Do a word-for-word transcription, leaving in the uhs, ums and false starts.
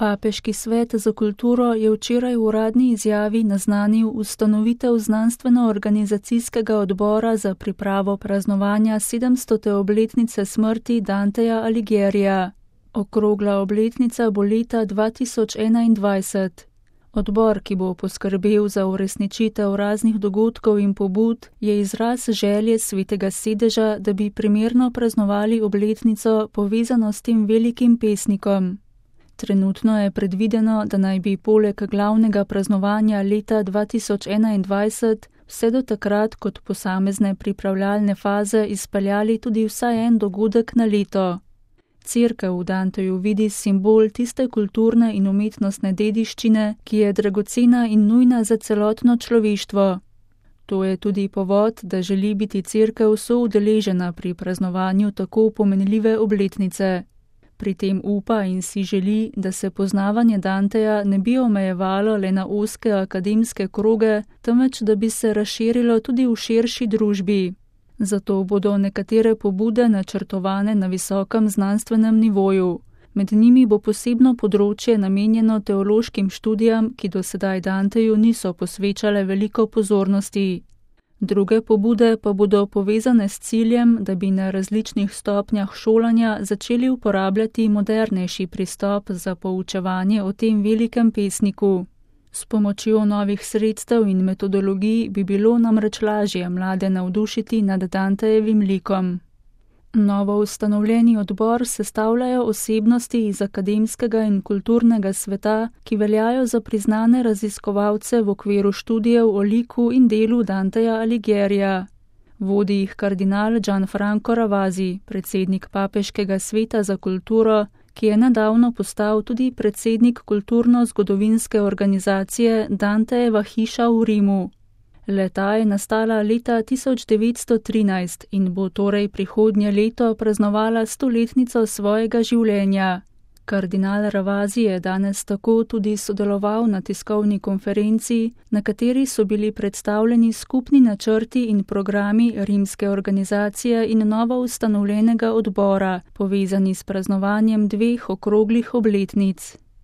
Papeški svet za kulturo je včeraj v uradni izjavi naznanil ustanovitev znanstveno-organizacijskega odbora za pripravo praznovanja sedemstote obletnice smrti Danteja Alighiera. Okrogla obletnica bo leta dva tisoč enaindvajset. Odbor, ki bo poskrbel za uresničitev raznih dogodkov in pobud, je izraz želje Svetega sedeža, da bi primerno praznovali obletnico povezano s tem velikim pesnikom. Trenutno je predvideno, da naj bi poleg glavnega praznovanja leta dva tisoč enaindvajset vse do takrat kot posamezne pripravljalne faze izpeljali tudi vsaj en dogodek na leto. Cerkev v Danteju vidi simbol tiste kulturne in umetnostne dediščine, ki je dragocena in nujna za celotno človeštvo. To je tudi povod, da želi biti cerkev soudeležena pri praznovanju tako pomenljive obletnice. Pri tem upa in si želi, da se poznavanje Danteja ne bi omejevalo le na ozke akademske kroge, temveč da bi se razširilo tudi v širši družbi. Zato bodo nekatere pobude načrtovane na visokem znanstvenem nivoju. Med njimi bo posebno področje namenjeno teološkim študijam, ki do sedaj Danteju niso posvečale veliko pozornosti. Druge pobude pa bodo povezane s ciljem, da bi na različnih stopnjah šolanja začeli uporabljati modernejši pristop za poučevanje o tem velikem pesniku. S pomočjo novih sredstev in metodologij bi bilo namreč lažje mlade navdušiti nad Dantejevim likom. Novo ustanovljeni odbor sestavljajo osebnosti iz akademskega in kulturnega sveta, ki veljajo za priznane raziskovalce v okviru študijev o liku in delu Danteja Alighieria. Vodi jih kardinal Gianfranco Ravasi, predsednik Papeškega sveta za kulturo, ki je nedavno postal tudi predsednik kulturno-zgodovinske organizacije Dantejeva hiša v Rimu. Le-ta je nastala leta tisoč devetsto trinajst in bo torej prihodnje leto praznovala stoletnico svojega življenja. Kardinal Ravasi je danes tako tudi sodeloval na tiskovni konferenci, na kateri so bili predstavljeni skupni načrti in programi rimske organizacije in novo ustanovljenega odbora, povezani s praznovanjem dveh okroglih obletnic.